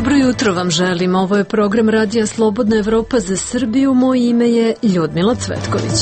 Dobro jutro vam želim. Ovo je program Radija Slobodna Evropa za Srbiju. Moje ime je Ljudmila Cvetković.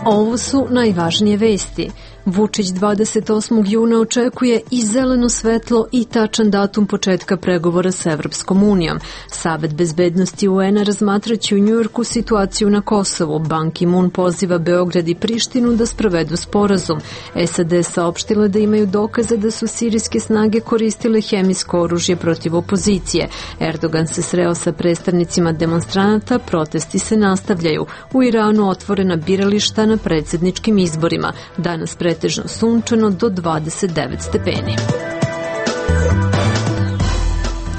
Ovo su najvažnije vesti. Vučić 28. juna očekuje i zeleno svetlo i tačan datum početka pregovora sa Evropskom unijom. Savet bezbednosti UN-a razmatraće u Njujorku situaciju na Kosovu. Ban Ki-moon poziva Beograd i Prištinu da sprovedu sporazum. SAD saopštile da imaju dokaze da su sirijske snage koristile hemijsko oružje protiv opozicije. Erdogan se sreo sa predstavnicima demonstranata, protesti se nastavljaju. U Iranu otvorena birališta na predsjedničkim izborima. Danas pretežno sunčano do 29 stepeni.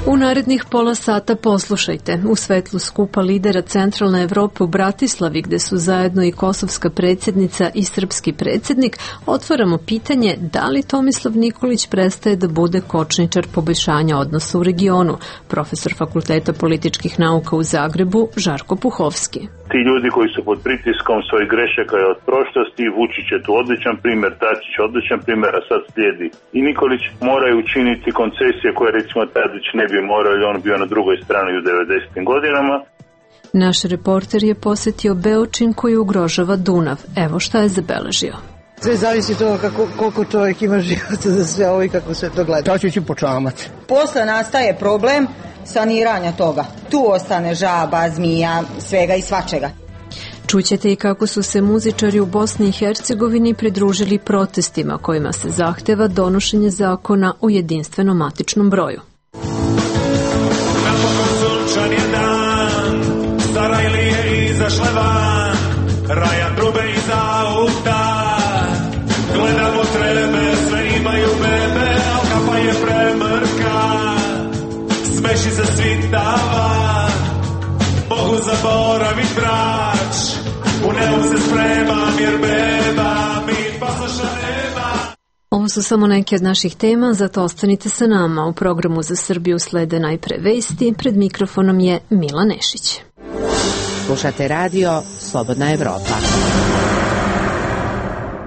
U narednih pola sata poslušajte. U svetlu skupa lidera Centralne Evrope u Bratislavi, gde su zajedno i kosovska predsjednica i srpski predsjednik, otvaramo pitanje da li Tomislav Nikolić prestaje da bude kočničar poboljšanja odnosa u regionu. Profesor Fakulteta političkih nauka u Zagrebu, Žarko Puhovski. Ti ljudi koji su pod pritiskom svojih grešaka od prošlosti, Vučić je tu odličan primjer, Dačić odličan primjer, a sad slijedi i Nikolić, moraju učiniti koncesije koje recimo Tadić ne bi morao, jer on bio na drugoj strani u 90. godinama. Naš reporter je posjetio Beočin koji ugrožava Dunav. Evo šta je zabeležio. Sve zavisi od toga koliko čovjek ima života za sve ovo i kako sve to gleda. To ću počamati. Posle nastaje problem saniranja toga. Tu ostane žaba, zmija, svega i svačega. Čućete i kako su se muzičari u Bosni i Hercegovini pridružili protestima kojima se zahteva donošenje zakona o jedinstvenom matičnom broju. Napokon sunčan je dan, stara Ilije izašle van, Rajan trube iz auta, gledamo trebe, sve imaju bebe, al kapa je premrka, smeši se svitava, mogu zaboravit brać, u nebu se spremam jer beba mi pasoša nema. Ovo su samo neke od naših tema, zato ostanite sa nama. U programu za Srbiju slede najpre vesti, pred mikrofonom je Mila Nešić. Slušate radio Slobodna Evropa.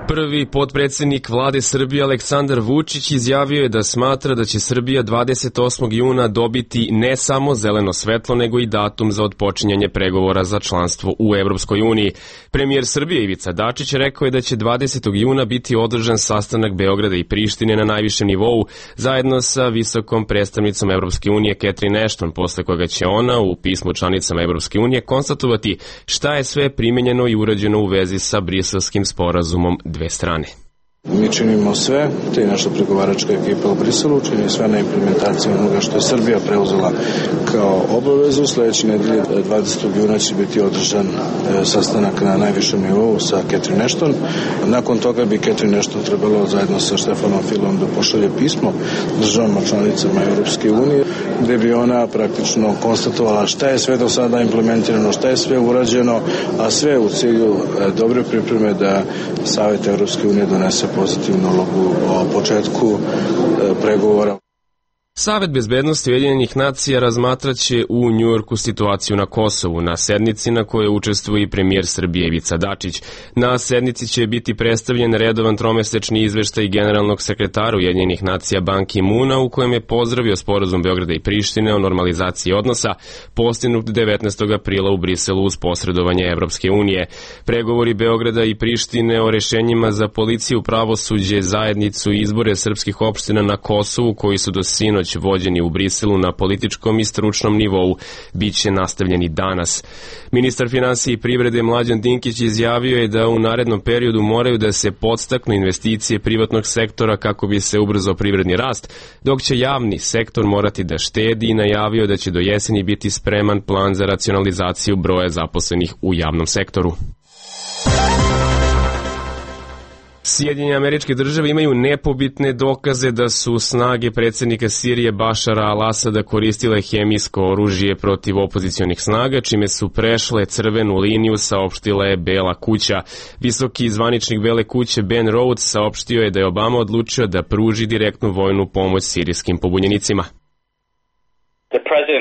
Prvi potpredsjednik vlade Srbije Aleksandar Vučić izjavio je da smatra da će Srbija 28. juna dobiti ne samo zeleno svetlo, nego i datum za otpočinjanje pregovora za članstvo u Evropskoj uniji. Premijer Srbije Ivica Dačić rekao je da će 20. juna biti održan sastanak Beograda i Prištine na najvišem nivou, zajedno sa visokom predstavnicom Evropske unije Catherine Ashton, posle koga će ona u pismu članicama Evropske unije konstatovati šta je sve primenjeno i urađeno u vezi sa Briselskim sporazumom dve strane. Mi činimo sve, te i naša pregovaračka ekipa u Briselu čini sve na implementaciju onoga što je Srbija preuzela kao obavezu. Sljedeće nedelje 20. juna će biti održan sastanak na najvišem nivou sa Catherine Ashton. Nakon toga bi Catherine Ashton trebalo zajedno sa Štefanom Filom da pošalje pismo državama članicama Europske unije, gde bi ona praktično konstatovala šta je sve do sada implementirano, šta je sve urađeno, a sve u cilju dobre pripreme da Savet Europske unije donese pozitivnu odluku o početku pregovora. Savet bezbednosti Ujedinjenih nacija razmatraće u Njujorku situaciju na Kosovu, na sednici na kojoj učestvuje i premijer Srbije Ivica Dačić. Na sednici će biti predstavljen redovan tromesečni izveštaj generalnog sekretara Ujedinjenih nacija Ban Ki-moona, u kojem je pozdravio sporazum Beograda i Prištine o normalizaciji odnosa postignut 19. aprila u Briselu uz posredovanje Evropske unije. Pregovori Beograda i Prištine o rešenjima za policiju, pravosuđe, zajednicu i izbore srpskih opština na Kosovu, koji su do sinoć vođeni u Briselu na političkom i stručnom nivou, bit će nastavljeni danas. Ministar finansija i privrede Mlađan Dinkić izjavio je da u narednom periodu moraju da se podstaknu investicije privatnog sektora kako bi se ubrzao privredni rast, dok će javni sektor morati da štedi i najavio da će do jeseni biti spreman plan za racionalizaciju broja zaposlenih u javnom sektoru. Sjedinjene Američke Države imaju nepobitne dokaze da su snage predsjednika Sirije Bašara al-Asada koristile hemijsko oružje protiv opozicionih snaga, čime su prešle crvenu liniju, saopštila je Bela kuća. Visoki zvaničnik Bele kuće Ben Rhodes saopštio je da je Obama odlučio da pruži direktnu vojnu pomoć sirijskim pobunjenicima. The president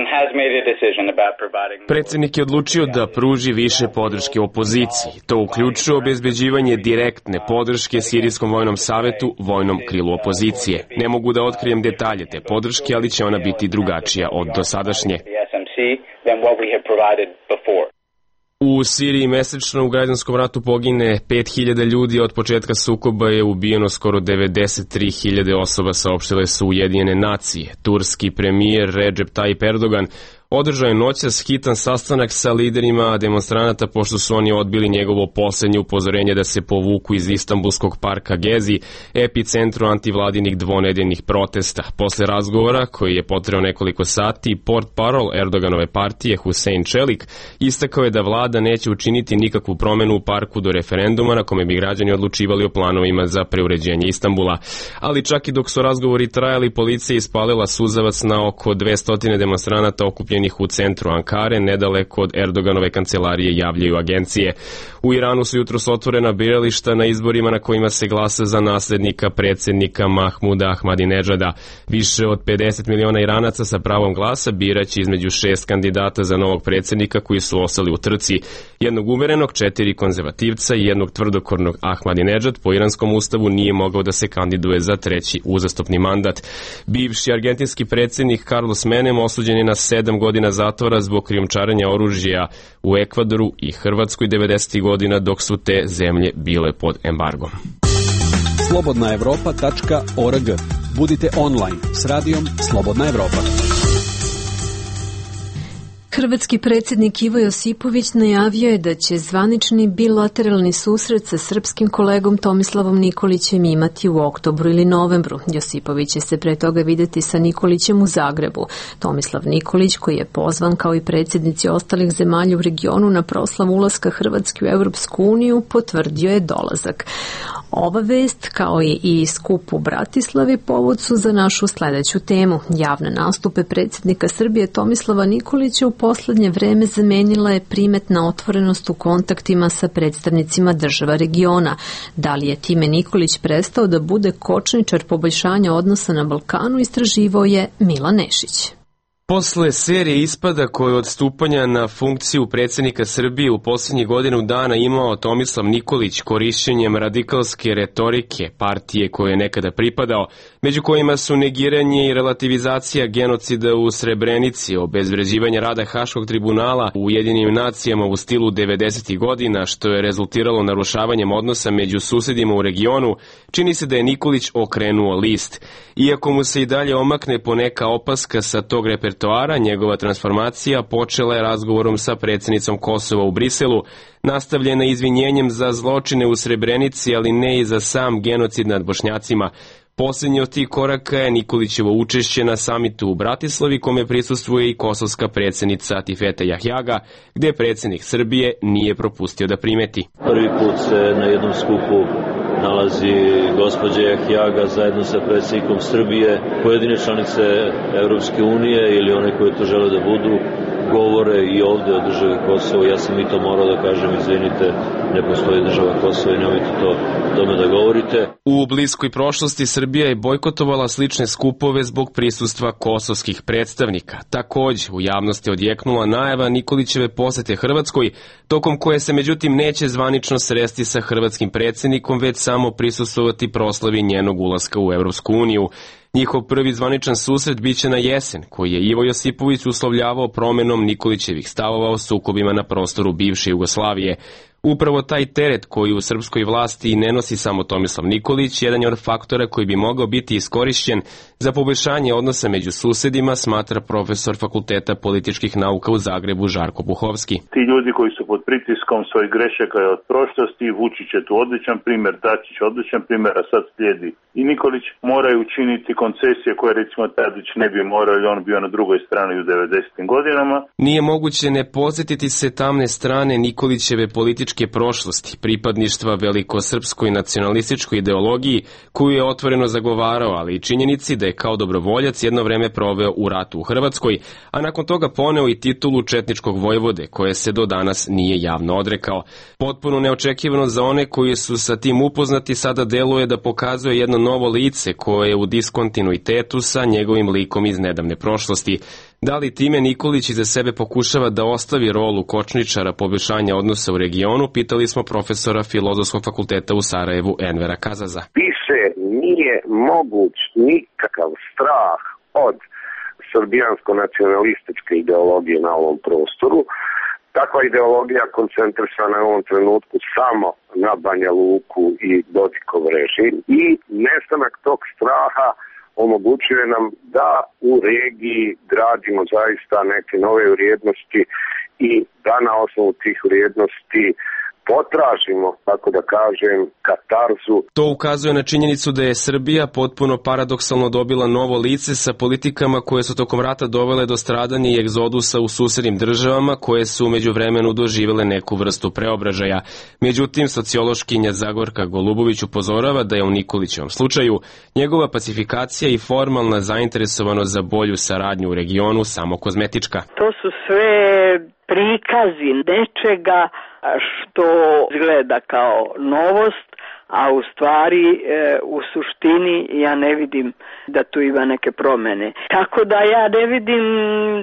Predsednik je odlučio da pruži više podrške opoziciji. To uključuje obezbeđivanje direktne podrške Sirijskom vojnom savetu, vojnom krilu opozicije. Ne mogu da otkrijem detalje te podrške, ali će ona biti drugačija od dosadašnje. U Siriji mesečno u građanskom ratu pogine 5.000 ljudi, od početka sukoba je ubijeno skoro 93.000 osoba, saopštile su Ujedinjene nacije. Turski premijer Recep Tayyip Erdogan održao je noćas hitan sastanak sa liderima demonstranata pošto su oni odbili njegovo poslednje upozorenje da se povuku iz Istanbulskog parka Gezi, epicentru antivladinih dvonedeljnih protesta. Posle razgovora, koji je potrajao nekoliko sati, portparol Erdoganove partije Hüseyin Çelik istakao je da vlada neće učiniti nikakvu promenu u parku do referenduma na kome bi građani odlučivali o planovima za preuređenje Istanbula. Ali čak i dok su razgovori trajali, policija ispalila suzavac na oko 200 demonstranata okupljenih u centru Ankare, nedaleko od Erdoganove kancelarije, javljaju agencije. U Iranu su jutros otvorena birališta na izborima na kojima se glasa za naslednika predsednika Mahmuda Ahmadinedžada. Više od 50 miliona Iranaca sa pravom glasa biraće između 6 kandidata za novog predsednika koji su ostali u trci. Jednog uverenog, 4 konzervativca i jednog tvrdokornog. Ahmadinedžad po iranskom ustavu nije mogao da se kandiduje za treći uzastopni mandat. Bivši argentinski predsednik Carlos Menem osuđen je na 7 godina zatvora zbog krijumčarenja oružja u Ekvadoru i Hrvatskoj 90. godina dok su te zemlje bile pod embargom. slobodnaevropa.org. Budite online s radijom Slobodna Evropa. Hrvatski predsjednik Ivo Josipović najavio je da će zvanični bilateralni susret sa srpskim kolegom Tomislavom Nikolićem imati u oktobru ili novembru. Josipović će se pre toga videti sa Nikolićem u Zagrebu. Tomislav Nikolić, koji je pozvan kao i predsjednici ostalih zemalja u regionu na proslavu ulaska Hrvatske u Evropsku uniju, potvrdio je dolazak. Ova vest, kao i skup u Bratislavi, povod su za našu sledeću temu. Javne nastupe predsjednika Srbije Tomislava Nikolića u poslednje vreme zamenila je primetna otvorenost u kontaktima sa predstavnicima država regiona. Da li je time Nikolić prestao da bude kočničar poboljšanja odnosa na Balkanu, istraživao je Milan Nešić. Posle serije ispada koje od stupanja na funkciju predsjednika Srbije u posljednjih godinu dana imao Tomislav Nikolić korišćenjem radikalske retorike partije koje je nekada pripadao, među kojima su negiranje i relativizacija genocida u Srebrenici, obezvređivanje rada Haškog tribunala u Ujedinjenim nacijama u stilu 90. godina, što je rezultiralo narušavanjem odnosa među susedima u regionu, čini se da je Nikolić okrenuo list. Iako mu se i dalje omakne poneka opaska sa tog repertoara, njegova transformacija počela je razgovorom sa predsjednicom Kosova u Briselu, nastavljena izvinjenjem za zločine u Srebrenici, ali ne i za sam genocid nad Bošnjacima. Posljednji od tih koraka je Nikolićevo učešće na samitu u Bratislavi, kome prisustvuje i kosovska predsjednica Tifeta Jahjaga, gde predsjednik Srbije nije propustio da primeti. Prvi put se na jednom skupu nalazi gospođa Jahjaga zajedno sa predsjednikom Srbije. Pojedine članice Evropske unije ili one koje to žele da budu govore i ovde o državi Kosovo. Ja sam i to morao da kažem, izvinite, ne postoji država Kosovo i nemojte to tome da govorite. U bliskoj prošlosti Srbija je bojkotovala slične skupove zbog prisustva kosovskih predstavnika. Takođe, u javnosti odjeknula najava Nikolićeve posete Hrvatskoj, tokom koje se međutim neće zvanično sresti sa hrvatskim predsjednikom, već samo prisustvovati proslavi njenog ulaska u Evropsku uniju. Njihov prvi zvaničan susret biće na jesen, koji je Ivo Josipović uslovljavao promenom Nikolićevih stavova o sukobima na prostoru bivše Jugoslavije. Upravo taj teret koji u srpskoj vlasti ne nosi samo Tomislav Nikolić, jedan je od faktora koji bi mogao biti iskorišćen za poboljšanje odnosa među susedima, smatra profesor Fakulteta političkih nauka u Zagrebu Žarko Puhovski. Ti ljudi koji su pod pritiskom svojih grešaka od prošlosti, Vučić je tu odličan primjer, Dačić odličan primjer, a sad slijedi i Nikolić, moraju učiniti koncesije koje recimo Tadić ne bi morao, on bio na drugoj strani u 90. godinama. Nije moguće ne podsjetiti se tamne strane Nikolićeve političke prošlosti, pripadništva velikosrpskoj nacionalističkoj ideologiji koju je otvoreno zagovarao, ali i činjenici da je kao dobrovoljac jedno vreme proveo u ratu u Hrvatskoj, a nakon toga poneo i titulu četničkog vojvode, koje se do danas nije javno odrekao. Potpuno neočekivano za one koji su sa tim upoznati, sada deluje da pokazuje jedno novo lice koje je u diskontinuitetu sa njegovim likom iz nedavne prošlosti. Da li time Nikolić iza sebe pokušava da ostavi rolu kočničara poboljšanja odnosa u regionu, pitali smo profesora Filozofskog fakulteta u Sarajevu Envera Kazaza. Više nije moguć nikakav strah od srbijansko-nacionalističke ideologije na ovom prostoru. Takva ideologija koncentrisana je u ovom trenutku samo na Banja Luku i Dodikov režim i nestanak tog straha omogućuje nam da u regiji gradimo zaista neke nove vrijednosti i da na osnovu tih vrijednosti potražimo, tako da kažem, katarzu. To ukazuje na činjenicu da je Srbija potpuno paradoksalno dobila novo lice sa politikama koje su tokom rata dovele do stradanja i egzodusa u susednim državama koje su umeđu vremenu doživele neku vrstu preobražaja. Međutim, sociološkinja Zagorka Golubović upozorava da je u Nikolićevom slučaju njegova pacifikacija i formalna zainteresovanost za bolju saradnju u regionu samo kozmetička. To su sve prikazi nečega što izgleda kao novost, a u stvari u suštini ja ne vidim da tu ima neke promene. Tako da ja ne vidim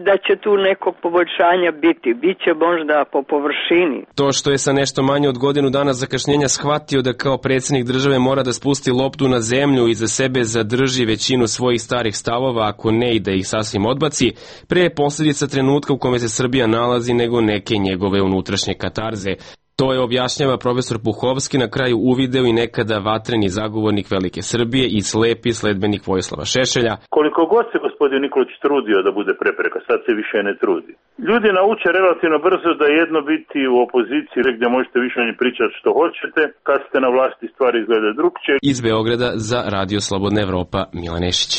da će tu nekog poboljšanja biti. Biće možda po površini. To što je sa nešto manje od godinu dana zakašnjenja shvatio da kao predsjednik države mora da spusti loptu na zemlju i za sebe zadrži većinu svojih starih stavova, ako ne i da ih sasvim odbaci, pre je posljedica trenutka u kome se Srbija nalazi nego neke njegove unutrašnje katarze. To je, objašnjava profesor Puhovski, na kraju uvideo i nekada vatreni zagovornik Velike Srbije i slepi sledbenik Vojislava Šešelja. Koliko god se gospodin Nikolić trudio da bude prepreka, sad se više ne trudi. Ljudi nauče relativno brzo da jedno biti u opoziciji gdje možete više o njih pričati što hoćete, kad ste na vlasti stvari izgleda drugčije. Iz Beograda za Radio Slobodna Evropa, Milan Nešić.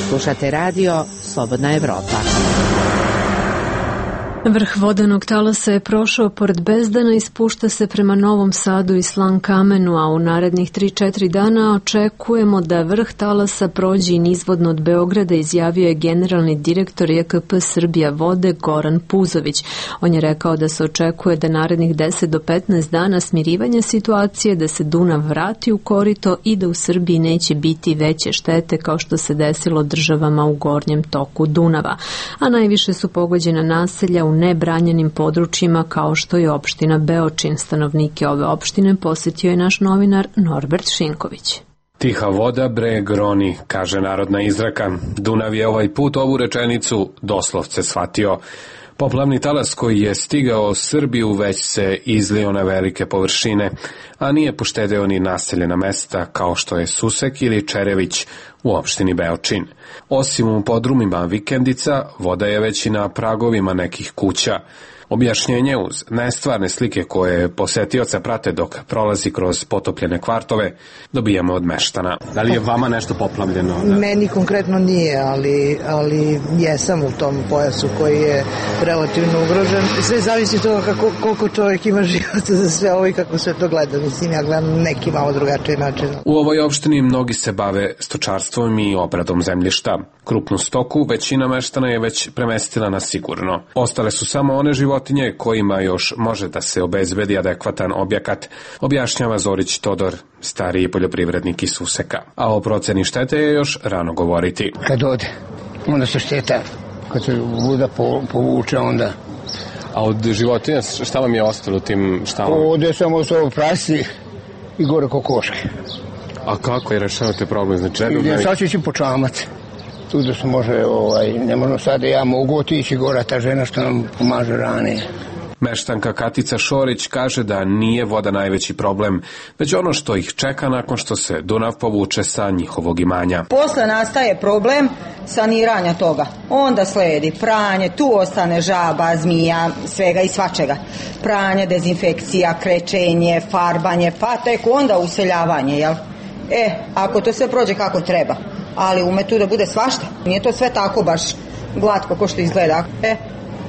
Slušate Radio Slobodna Evropa. Vrh vodenog talasa je prošao pored Bezdana i spušta se prema Novom Sadu i Slankamenu, a u narednih 3-4 dana očekujemo da vrh talasa prođe i nizvodno od Beograda, izjavio je generalni direktor JKP Srbija vode Goran Puzović. On je rekao da se očekuje da narednih 10 do 15 dana smirivanja situacije, da se Dunav vrati u korito i da u Srbiji neće biti veće štete kao što se desilo državama u gornjem toku Dunava. A najviše su pogođena naselja u nebranjenim područjima kao što je opština Beočin. Stanovnike ove opštine posjetio je naš novinar Norbert Šinković. Tiha voda breg roni, kaže narodna izreka. Dunav je ovaj put ovu rečenicu doslovce shvatio. Poplavni talas koji je stigao Srbiju već se izlio na velike površine, a nije poštedeo ni naseljena mesta kao što je Susek ili Čerević u opštini Beočin. Osim u podrumima vikendica, voda je već i na pragovima nekih kuća. Objašnjenje uz nestvarne slike koje posetioca prate dok prolazi kroz potopljene kvartove dobijamo od meštana. Da li je vama nešto poplavljeno? Meni konkretno nije, ali jesam u tom pojasu koji je relativno ugrožen. Sve zavisi od toga koliko čovjek ima života za sve ovo i kako sve to gleda. Mislim, ja gledam neki malo drugačiji način. U ovoj opštini mnogi se bave stočarstvom i obradom zemljišta. Krupnu stoku većina meštana je već premestila na sigurno. Ostale su samo one životinje kojima još može da se obezbedi adekvatan objekat, objašnjava Zorić Todor, stariji poljoprivrednik iz Suseka. A o proceni štete je još rano govoriti. Kad ode, onda se šteta, kad se voda povuče onda. A od životinja šta vam je ostalo tim štalama? Ode samo su prasi i gore kokoške. A kako je rešavate problem? Znači, sad ću ići po čamac. Tu da se može, ne možemo sada, ja mogu otići gora, ta žena što nam pomaže ranije. Meštanka Katica Šorić kaže da nije voda najveći problem, već ono što ih čeka nakon što se Dunav povuče sa njihovog imanja. Posle nastaje problem saniranja toga. Onda sledi pranje, tu ostane žaba, zmija, svega i svačega. Pranje, dezinfekcija, krečenje, farbanje, pa tek onda useljavanje, jel? Ako to sve prođe kako treba, ali ume tu da bude svašta. Nije to sve tako baš glatko ko što izgleda.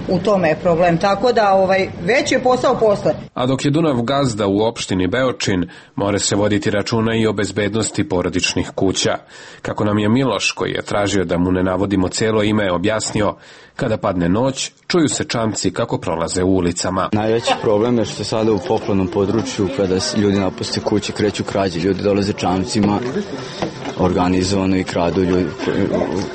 U tome je problem, tako da već je posao posle. A dok je Dunav gazda u opštini Beočin, mora se voditi računa i o bezbednosti porodičnih kuća. Kako nam je Miloš, koji je tražio da mu ne navodimo celo ime, objasnio, kada padne noć, čuju se čamci kako prolaze u ulicama. Najveći problem je što sada u poplavnom području, kada ljudi napuste kuće, kreću krađe, ljudi dolaze čamcima organizovano i kradu ljudi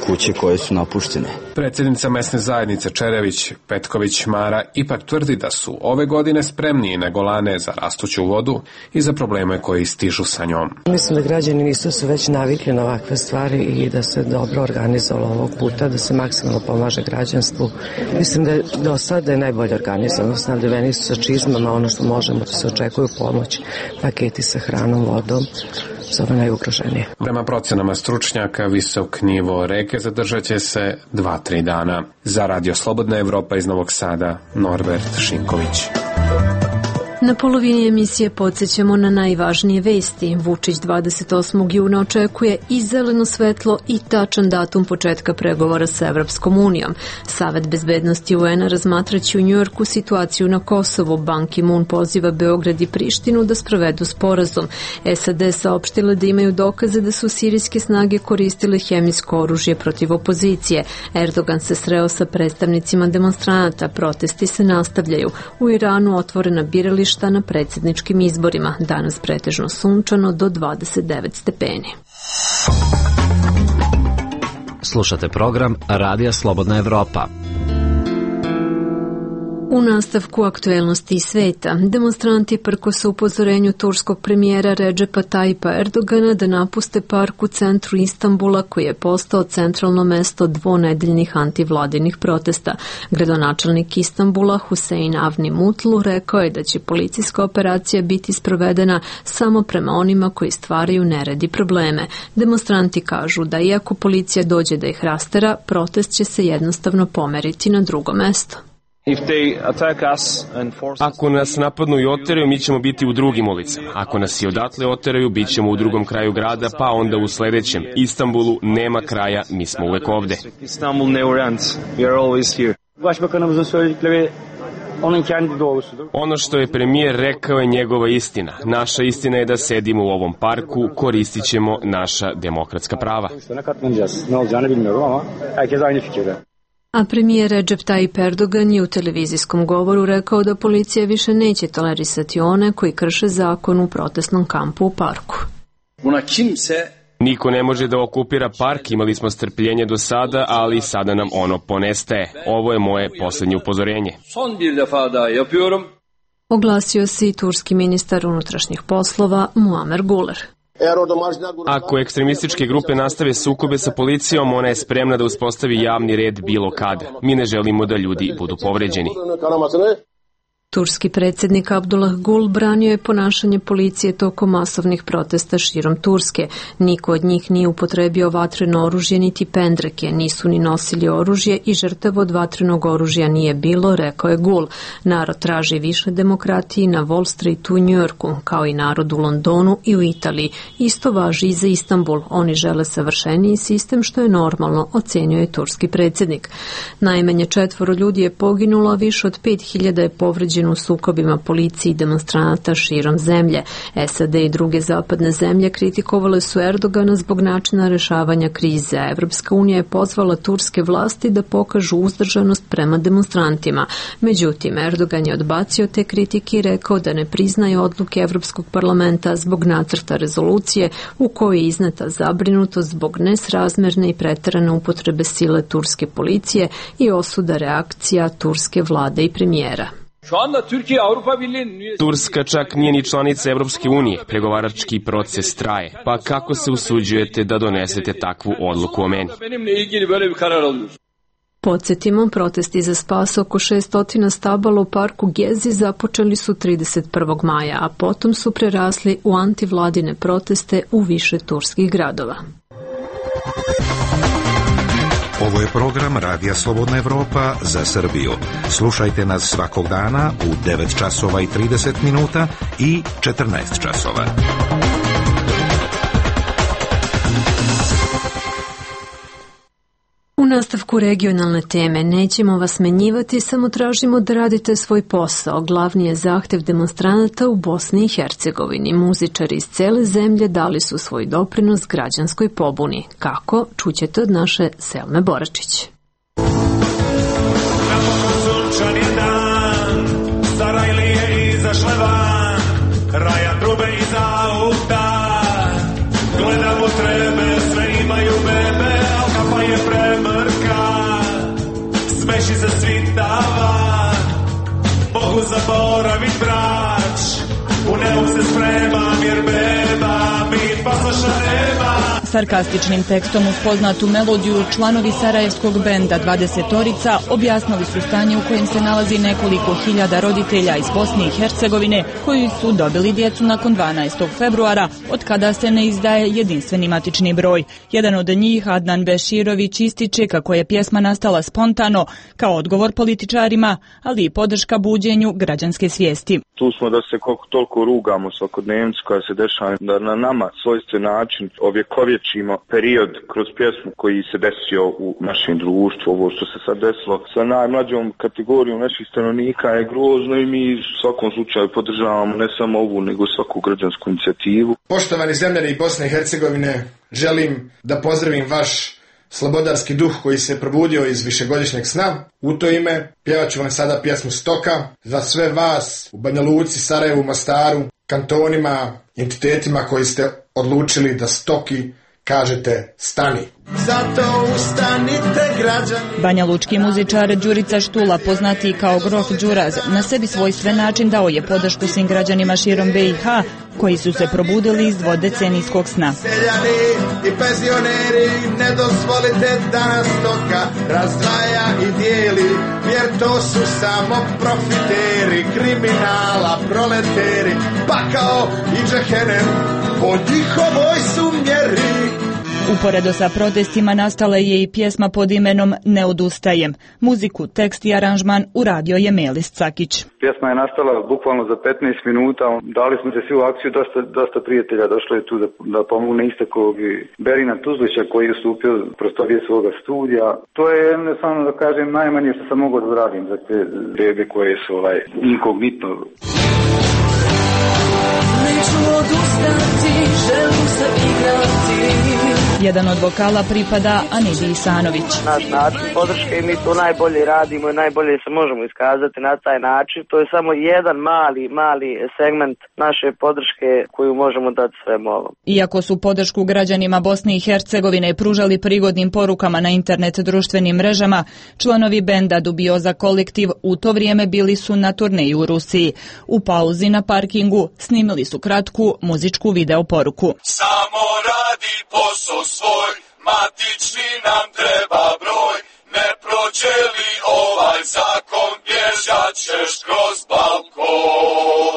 kuće koje su napuštene. Predsjednica mesne zajednice Čerević Petković Mara ipak tvrdi da su ove godine spremniji nego lane za rastuću vodu i za probleme koji stižu sa njom. Mislim da građani nisu se već navikli na ovakve stvari i da se dobro organizovalo ovog puta, da se maksimalno pomaže građanstvu. Mislim da je do sada najbolje organizovano, snabdeveni su sa čizmama, ono što možemo, da se očekuju pomoć, paketi sa hranom, vodom, za ove najugroženije. Prema procenama stručnjaka, visok nivo reke zadržat će se 2-3 dana. Za Radio Slobodna Evropa iz Novog Sada, Norbert Šinković. Na polovini emisije podsjećamo na najvažnije vesti. Vučić 28. juna očekuje i zeleno svetlo i tačan datum početka pregovora sa Evropskom unijom. Savet bezbednosti UN-a razmatraće u Njujorku situaciju na Kosovu. Ban Ki-moon poziva Beograd i Prištinu da sprovedu sporazum. SAD saopštile da imaju dokaze da su sirijske snage koristile hemijsko oružje protiv opozicije. Erdogan se sreo sa predstavnicima demonstranata. Protesti se nastavljaju. U Iranu otvorena birališta na predsjedničkim izborima. Danas pretežno sunčano do 29 stepeni. Slušate program Radija Slobodna Evropa. U nastavku aktuelnosti i sveta, demonstranti prkose upozorenju turskog premijera Redžepa Tajipa Erdogana da napuste park u centru Istanbula koji je postao centralno mesto dvonedeljnih antivladinih protesta. Gradonačelnik Istanbula Husein Avni Mutlu rekao je da će policijska operacija biti sprovedena samo prema onima koji stvaraju nered i probleme. Demonstranti kažu da iako policija dođe da ih rastera, protest će se jednostavno pomeriti na drugo mesto. Ako nas napadnu i oteraju, mi ćemo biti u drugim ulicama. Ako nas i odatle oteraju, bit ćemo u drugom kraju grada, pa onda u sledećem. Istanbulu nema kraja, mi smo uvek ovde. Ono što je premijer rekao je njegova istina. Naša istina je da sedimo u ovom parku, koristit ćemo naša demokratska prava. A premijer Recep Tayyip Erdogan je u televizijskom govoru rekao da policija više neće tolerisati one koji krše zakon u protestnom kampu u parku. Niko ne može da okupira park, imali smo strpljenje do sada, ali sada nam ono ponestaje. Ovo je moje poslednje upozorenje. Oglasio se i turski ministar unutrašnjih poslova Muamer Guler. Ako ekstremističke grupe nastave sukobe sa policijom, ona je spremna da uspostavi javni red bilo kada. Mi ne želimo da ljudi budu povređeni. Turski predsjednik Abdullah Gul branio je ponašanje policije tokom masovnih protesta širom Turske. Niko od njih nije upotrebio vatreno oružje niti pendreke, nisu ni nosili oružje i žrtava od vatrenog oružja nije bilo, rekao je Gul. Narod traži više demokratije na Wall Streetu u Njujorku, kao i narod u Londonu i u Italiji. Isto važi i za Istanbul. Oni žele savršeniji sistem što je normalno, ocenio je turski predsjednik. Najmanje 4 ljudi je poginulo, a više od 5000 je povređeno u sukobima policije i demonstranata širom zemlje. SAD i druge zapadne zemlje kritikovale su Erdogana zbog načina rešavanja krize, a Evropska unija je pozvala turske vlasti da pokažu uzdržanost prema demonstrantima. Međutim, Erdogan je odbacio te kritike i rekao da ne priznaje odluke Evropskog parlamenta zbog nacrta rezolucije u kojoj je izneta zabrinutost zbog nesrazmerne i preterane upotrebe sile turske policije i osuda reakcija turske vlade i premijera. Turska čak nije ni članica Evropske unije, pregovarački proces traje, pa kako se usuđujete da donesete takvu odluku o meni? Podsjetimo, protesti za spas oko 600 stabala u parku Gezi započeli su 31. maja, a potom su prerasli u antivladine proteste u više turskih gradova. Ovo je program Radija Slobodna Evropa za Srbiju. Slušajte nas svakog dana u 9 časova i 30 minuta i 14 časova. U nastavku regionalne teme nećemo vas smenjivati, samo tražimo da radite svoj posao. Glavni je zahtev demonstranata u Bosni i Hercegovini. Muzičari iz cele zemlje dali su svoj doprinos građanskoj pobuni. Kako? Čućete od naše Selme Boračić. Sunčan je dan, Sarajlije izašle van, Raja trube iza auta, gledamo trebe Sarkastičnim tekstom uz poznatu melodiju članovi sarajevskog benda 20-orica objasnili su stanje u kojem se nalazi nekoliko hiljada roditelja iz Bosne i Hercegovine koji su dobili djecu nakon 12. februara, od kada se ne izdaje jedinstveni matični broj. Jedan od njih, Adnan Beširović, ističe kako je pjesma nastala spontano, kao odgovor političarima, ali i podrška buđenju građanske svijesti. Tu smo da se koliko toliko rugamo svakodnevnicu koja se dešava, da na nama svojstven način ovjekovječimo period kroz pjesmu koji se desio u našem društvu. Ovo što se sad desilo sa najmlađom kategorijom naših stanovnika je grozno i mi u svakom slučaju podržavamo ne samo ovu nego svaku građansku inicijativu. Poštovani zemljani Bosne i Hercegovine, želim da pozdravim vaš slobodarski duh koji se probudio iz višegodišnjeg sna. U to ime pjevat ću vam sada pjesmu Stoka za sve vas u Banja Luci, Sarajevu, Mostaru, kantonima, entitetima koji ste odlučili da stoki kažete stani. Zato ustanite građani. Banja lučki muzičar Đurica Štula, poznati kao Grof Đuraz, na sebi svojstven način dao je podršku svim građanima širom BiH koji su se probudili iz dvodecenijskog sna. Seljani i penzioneri, ne dozvolite da nas stoka razdvaja i dijeli, jer to su samo profiteri, kriminala, proleteri, pakao i džehennem po njihovoj su mjeri. Uporedo sa protestima nastala je i pjesma pod imenom Ne odustajem. Muziku, tekst i aranžman uradio je Melis Cakić. Pjesma je nastala bukvalno za 15 minuta. Dali smo se svi u akciju, dosta prijatelja došlo je tu da pomogne istako Berina Tuzlića koji je ustupio prostorije svoga studija. To je jednostavno da kažem najmanje što sam mogao da uradim za te bebe koje su inkognitno. Neću odustati, želim se igrati. Jedan od vokala pripada Anidi Isanović. Naš način podrške i mi to najbolje radimo i najbolje se možemo iskazati na taj način. To je samo jedan mali segment naše podrške koju možemo dati svemu ovom. Iako su podršku građanima Bosne i Hercegovine pružali prigodnim porukama na internet društvenim mrežama, članovi benda Dubioza kolektiv u to vrijeme bili su na turneji u Rusiji. U pauzi na parkingu snimili su kratku muzičku video poruku. Samo radi posao svoj, matični nam treba broj, ne prođe li ovaj zakon, bježat ćeš kroz balkon.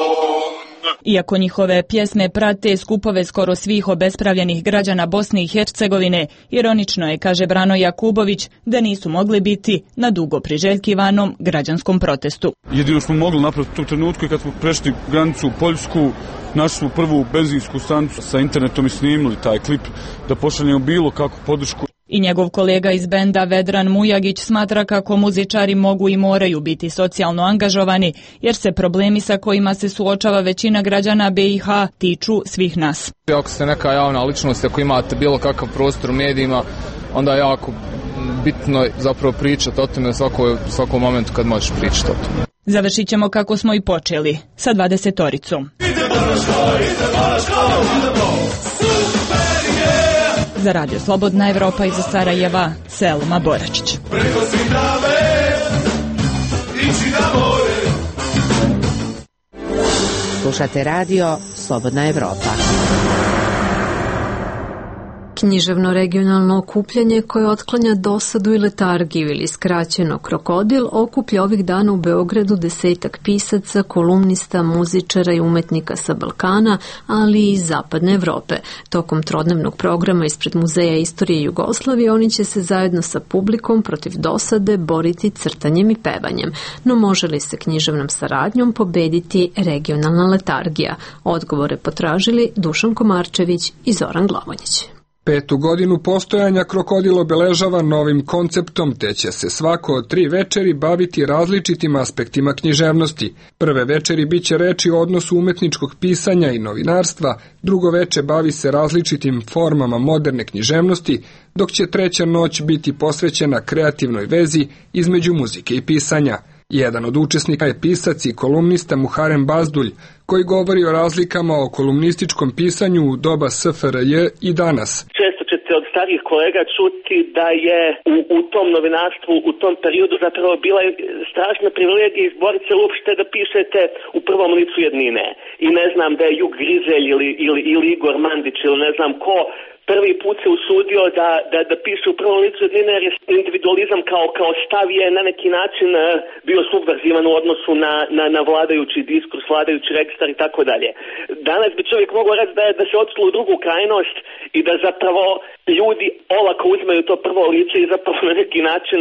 Iako njihove pjesme prate skupove skoro svih obespravljenih građana Bosne i Hercegovine, ironično je, kaže Brano Jakubović, da nisu mogli biti na dugo priželjkivanom građanskom protestu. Jedino smo mogli napraviti u tom trenutku kad smo prešli granicu u Poljsku, našli smo prvu benzinsku stanicu sa internetom i snimili taj klip da pošaljemo bilo kakvu podršku. I njegov kolega iz benda Vedran Mujagić smatra kako muzičari mogu i moraju biti socijalno angažovani, jer se problemi sa kojima se suočava većina građana BiH tiču svih nas. Ako ste neka javna ličnost, ako imate bilo kakav prostor u medijima, onda je jako bitno zapravo pričati o tome u svakom momentu kad možeš pričati o tome. Završit ćemo kako smo i počeli, sa 20-oricom. Za Radio Slobodna Evropa iz Sarajeva, Selma Boračić. Slušate Radio Slobodna Evropa. Književno regionalno okupljanje koje otklanja dosadu i letargiju ili skraćeno Krokodil okuplja ovih dana u Beogradu 10-ak pisaca, kolumnista, muzičara i umetnika sa Balkana, ali i iz Zapadne Evrope. Tokom trodnevnog programa ispred Muzeja istorije Jugoslavije oni će se zajedno sa publikom protiv dosade boriti crtanjem i pevanjem. No može li se književnom saradnjom pobediti regionalna letargija? Odgovore potražili Dušan Komarčević i Zoran Glavonjić. 5. godinu postojanja Krokodil obeležava novim konceptom, te će se svako od 3 večeri baviti različitim aspektima književnosti. Prve večeri biće reči o odnosu umetničkog pisanja i novinarstva, drugo veče bavi se različitim formama moderne književnosti, dok će treća noć biti posvećena kreativnoj vezi između muzike i pisanja. Jedan od učesnika je pisac i kolumnista Muharem Bazdulj, koji govori o razlikama o kolumnističkom pisanju u doba SFRJ i danas. Često ćete od starih kolega čuti da je u tom novinarstvu, u tom periodu zapravo bila strašna privilegija izboriti se uopšte da pišete u prvom licu jednine. I ne znam da je Jug Griželj ili Igor Mandić ili ne znam ko prvi put se usudio da piše u prvom licu jednine, jer je individualizam kao stav je na neki način bio subverzivan u odnosu na vladajući diskurs, vladajući registar i tako dalje. Danas bi čovjek mogao reći da se odšlo u drugu krajnost i da zapravo ljudi olako uzmeju to prvo lice i zapravo na neki način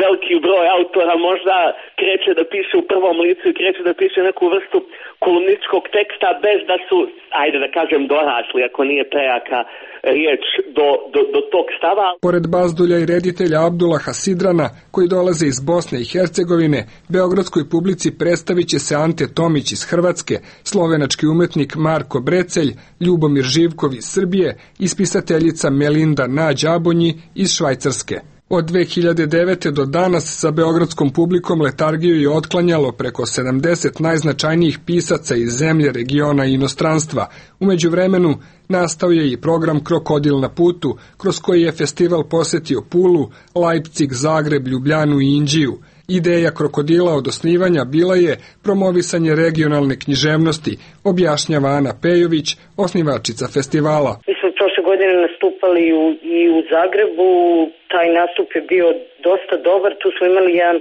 veliki broj autora možda kreće da piše u prvom licu i kreće da piše neku vrstu kolumnističkog teksta bez da su, ajde da kažem, dorasli, ako nije prejaka riječ, do tog stava. Pored Bazdulja i reditelja Abdullaha Sidrana, koji dolaze iz Bosne i Hercegovine, beogradskoj publici predstavit će se Ante Tomić iz Hrvatske, slovenački umetnik Marko Brecelj, Ljubomir Živkov iz Srbije i spisateljica Melinda Nađ-Abonji iz Švajcarske. Od 2009. do danas sa beogradskom publikom letargiju je otklanjalo preko 70 najznačajnijih pisaca iz zemlje, regiona i inostranstva. U međuvremenu nastao je i program Krokodil na putu, kroz koji je festival posetio Pulu, Leipzig, Zagreb, Ljubljanu i Inđiju. Ideja Krokodila od osnivanja bila je promovisanje regionalne književnosti, objašnjava Ana Pejović, osnivačica festivala. Mi smo prošle godine nastupali i u Zagrebu, taj nastup je bio dosta dobar, tu smo imali jedan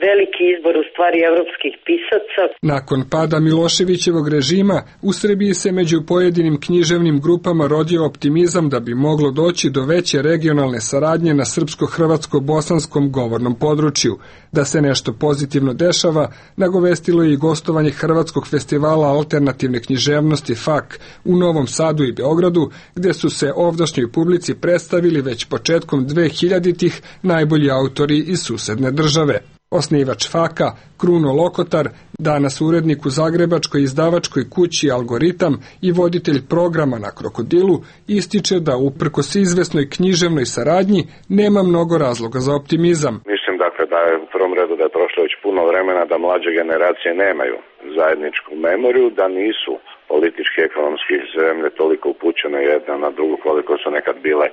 veliki izbor u stvari evropskih pisaca. Nakon pada Miloševićevog režima, u Srbiji se među pojedinim književnim grupama rodio optimizam da bi moglo doći do veće regionalne saradnje na srpsko-hrvatsko-bosanskom govornom području. Da se nešto pozitivno dešava, nagovestilo je i gostovanje Hrvatskog festivala alternativne književnosti FAK u Novom Sadu i Beogradu, gde su se ovdašnjoj publici predstavili već početkom 2000-ih najbolji autori iz susedne države. Osnivač FAK-a, Kruno Lokotar, danas urednik u zagrebačkoj izdavačkoj kući Algoritam i voditelj programa na Krokodilu, ističe da uprkos izvesnoj književnoj saradnji nema mnogo razloga za optimizam. Mislim dakle da je u prvom redu da je prošlo već puno vremena da mlađe generacije nemaju zajedničku memoriju, da nisu politički i ekonomski zemlje toliko upućene jedna na drugu koliko su nekad bile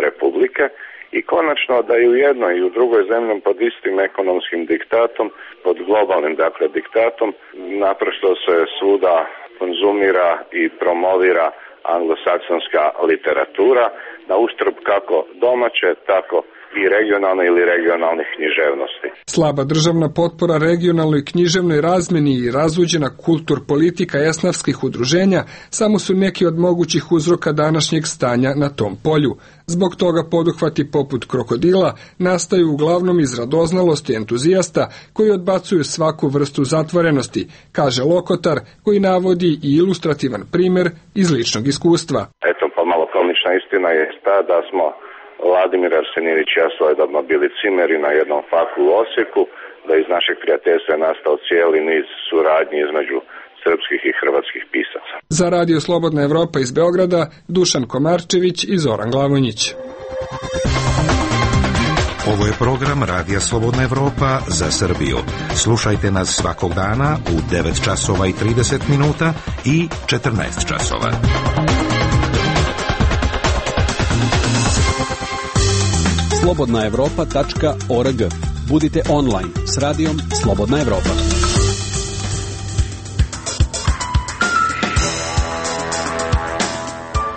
republike. I konačno da i u jednoj i u drugoj zemlji pod istim ekonomskim diktatom, pod globalnim dakle diktatom, naprosto se svuda konzumira i promovira anglosaksonska literatura na uštrb kako domaće, tako i regionalne ili regionalnih književnosti. Slaba državna potpora regionalnoj književnoj razmeni i razuđena kultur politika esnafskih udruženja samo su neki od mogućih uzroka današnjeg stanja na tom polju. Zbog toga poduhvati poput Krokodila nastaju uglavnom iz radoznalosti entuzijasta koji odbacuju svaku vrstu zatvorenosti, kaže Lokotar, koji navodi i ilustrativan primer iz ličnog iskustva. Eto, pa malo komična istina je ta da smo Vladimir Arsenijević i ja svojedobno bili cimeri na jednom faku u Osijeku, da iz našeg prijateljstva je nastao cijeli niz suradnji između srpskih i hrvatskih pisaca. Za Radio Slobodna Evropa iz Beograda, Dušan Komarčević i Zoran Glavonjić. Ovo je program Radija Slobodna Evropa za Srbiju. Slušajte nas svakog dana u 9 časova i 30 minuta i 14 časova. slobodnaevropa.org. Budite online s radijom Slobodna Evropa.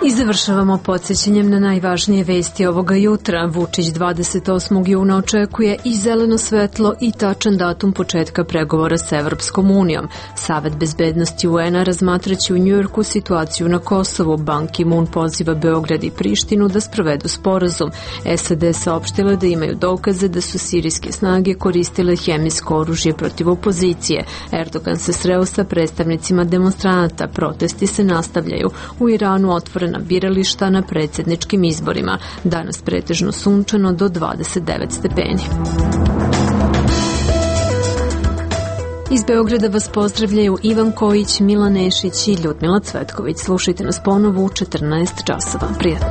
I završavamo podsjećanjem na najvažnije vesti ovoga jutra. Vučić 28. juna očekuje i zeleno svetlo i tačan datum početka pregovora s Evropskom unijom. Savet bezbednosti UN-a razmatraće u Njujorku situaciju na Kosovu. Ban Ki-moon poziva Beograd i Prištinu da sprovedu sporazum. SAD saopštile da imaju dokaze da su sirijske snage koristile hemijsko oružje protiv opozicije. Erdogan se sreo sa predstavnicima demonstranata. Protesti se nastavljaju. U Iranu otvorena birališta na predsjedničkim izborima. Danas pretežno sunčano do 29 stepeni. Iz Beograda vas pozdravljaju Ivan Kojić, Milan Nešić i Ljudmila Cvetković. Slušajte nas ponovo u 14 časova. Prijatno.